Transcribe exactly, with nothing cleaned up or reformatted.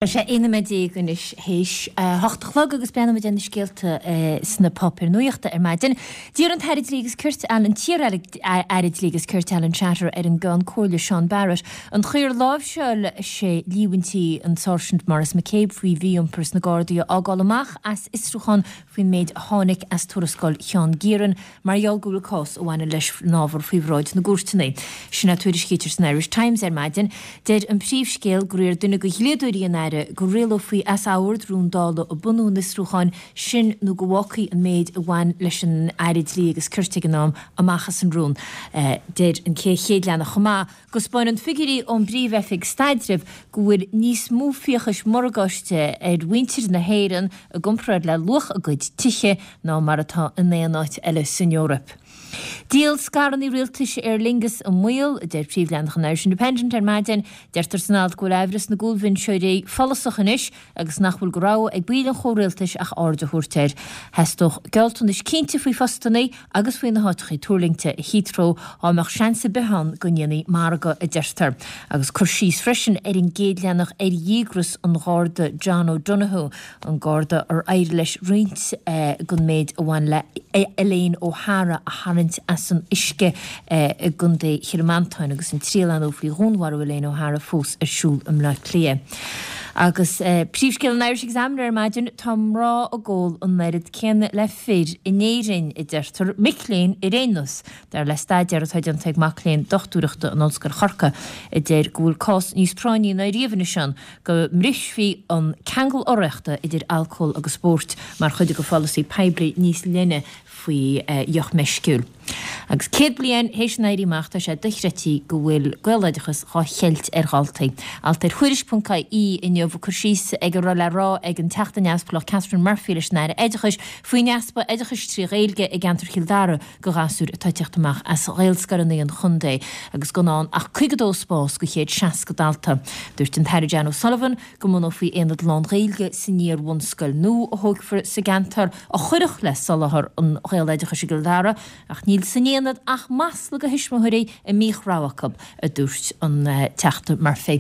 Tá sé aon nóiméad déag anois théis a hocht a chlog agus breathnóimid ar na scéalta sna páipéir nuachta ar maidin. D'iarr an tAire Dlí agus Cirt Alan t-iar-Aire Dlí agus Cirt Alan Shatter ar an gCeann Comhairle Seán Barrett an chaoi ar láimhseáil sé líomhaintí an Sáirsint Maurice McCabe faoi mhí-iompar sna Gardaí a fhágáil amach as fhiosrúchán faoin méid a tháinig as tuarascáil Sheán Geiran mar gheall go bhfuil cás a bhaineann leis an ábhar faoi bhráid na gcúirteanna. Sin a tuairiscítear san Irish Times ar maidin. Deir an príomhscéal gur iarr duine de dhlíodóirí an Aire go rialófaí as ord rún Dála ag bunú an fhiosrúcháin sin nó go bhfágfaí an méid a bhain leis an Aire Dlí agus Cirt ag an am amach as an rún. Deir an chéad leathanach chomh maith go 'spáineann figiúirí ón bPríomh-Oifig Staidrimh go bhfuil níos mó fiachais morgáiste ar mhuintir na hÉireann i gcomparáid le luach a gcuid tithe ná mar atá in aon áit eile san Eoraip. Díol scaireanna rialtais Aer Lingus i mbaol, a deir príomhleathanach an Irish Independent ar maidin. Deirtear san alt go bhfuil aimhreas na gcúlbhinseoirí follasach anois agus nach bhfuil de rogha ag baill an chomhrialtais ach aird a thabhairt air. Theastódh gealltanais cinnte faoi phostanna agus faoi na háiteacha tuirlingte i Heathrow dá mbeadh seans ar bith ann go ndéanfaí margadh, a deirtear. Agus cur síos freisin ar an gcéad leathanach ar dhíograis an Gharda John O'Donoghue, an Garda ar éirigh leis roinnt den méid a bhain le Elaine O'Hara a tharraingt as an uisce i gContae Chill Mhantáin agus an triail ar ndóigh faoi dhúnmharú Elaine O'Hara fós ar siúl i mBleá Cliath. Agus príomhscéal an Irish Examiner ar maidin, tá mná ag ól an oiread céanna le fir in Éirinn, a deirtear, mic léinn ar aon nós, dar le staidéar atá déanta ag mac léinn dochtúireachta in Ollscoil Chorcaí, a deir go bhfuil cás níos práinní ná riamh anois ann go mbrisfí an ceangal urraíochta idir alcól agus spórt mar chuid de pholasaí poiblí níos leithne faoi dheoch meisciúil. Agus céad bliain théis an Éirí Amach tá sé dochreidte go bhfuil Gaeloideachas dhá cheilt ar dhaltaí. Alt ar Thuairisc ponc ie inniu ag cur síos ag a raibh le rá ag an Teachta Neamhspleách Catherine Murphy leis an Aire Oideachais faoin easpa oideachais trí Ghaeilge i gceantar Chill Dara do ghasúir atá ag teacht amach as Ghaelscoileanna an chontae agus gan ann ach caoga dó spás do chéad seasca dalta. Dúirt an tAire Jan O'Sullivan go mbunófaí aonad lán-Ghaeilge san iar-bhunscoil nua a thógfar sa gceantar a chuirfeadh le soláthar an Ghaeloideachais i gCill Dara, ach níl san aonad ach masla do thuismitheoirí a mbíodh rogha acu, a dúirt an Teachta Murphy.